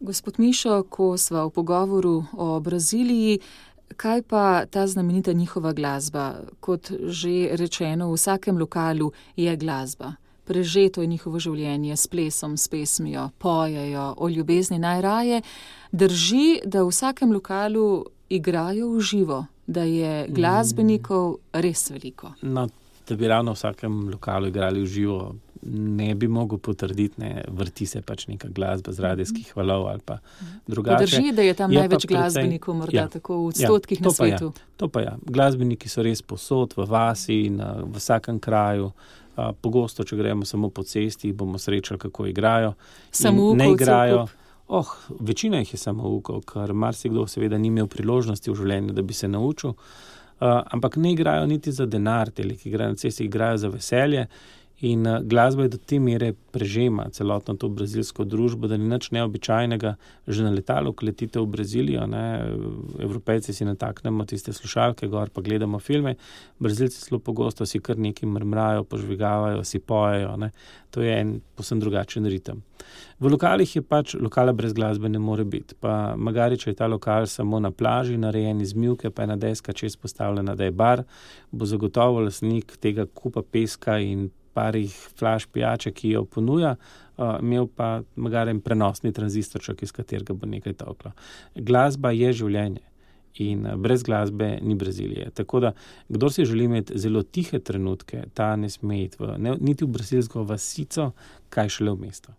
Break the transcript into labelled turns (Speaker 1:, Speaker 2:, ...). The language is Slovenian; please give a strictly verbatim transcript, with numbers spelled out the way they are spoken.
Speaker 1: Gospod Mišo, ko sva v pogovoru o Braziliji, kaj pa ta znamenita njihova glasba? Kot že rečeno, v vsakem lokalu je glasba. Prežeto je njihovo življenje s plesom, s pesmijo, pojejo o ljubezni najraje. Drži, da v vsakem lokalu igrajo v živo, da je glasbenikov res veliko.
Speaker 2: No, da bi ravno v vsakem lokalu igrali v živo, ne bi mogel potrditi, ne, vrti se pač neka glasba z radijskih valov ali pa drugače.
Speaker 1: Drži, da je tam
Speaker 2: je
Speaker 1: največ
Speaker 2: precej,
Speaker 1: glasbenikov, morda
Speaker 2: ja,
Speaker 1: tako v odstotkih
Speaker 2: ja,
Speaker 1: na svetu.
Speaker 2: Ja, to pa ja. Glasbeniki so res povsod, v vasi, na, v vsakem kraju. A, pogosto, če gremo samo po cesti, bomo srečali, kako igrajo.
Speaker 1: Samoukovcev.
Speaker 2: Ne igrajo. Oh, večina jih je samoukov, ker marsikdo seveda ni imel priložnosti v življenju, da bi se naučil. Uh, ampak ne igrajo niti za denar, teli, ki igrajo na cesti, igrajo za veselje. In uh, glasba je do te mere prežema celotno to brazilsko družbo, da ni nič neobičajnega. Že na letalu, ko letite v Brazilijo, ne, Evropejci si nataknemo tiste slušalke gor, pa gledamo filme. Brazilci zelo pogosto si kar nekaj mrmrajo, požvigavajo, si pojejo. Ne. To je en povsem drugačen ritem. V lokalih je pač, lokala brez glasbe ne more biti. Pa magari, če je ta lokal samo na plaži, narejen iz mivke, pa je ena deska čez postavljena, da je bar, bo zagotovo lastnik tega kupa peska in parih flaš pijače, ki jo ponuja, uh, imel pa magari prenosni tranzistorček, iz katerega bo nekaj toklo. Glasba je življenje in brez glasbe ni Brazilije. Tako da, kdor si želi imeti zelo tihe trenutke, ta ne sme iti v, ne, niti v brazilsko vasico, kaj šele v mesto.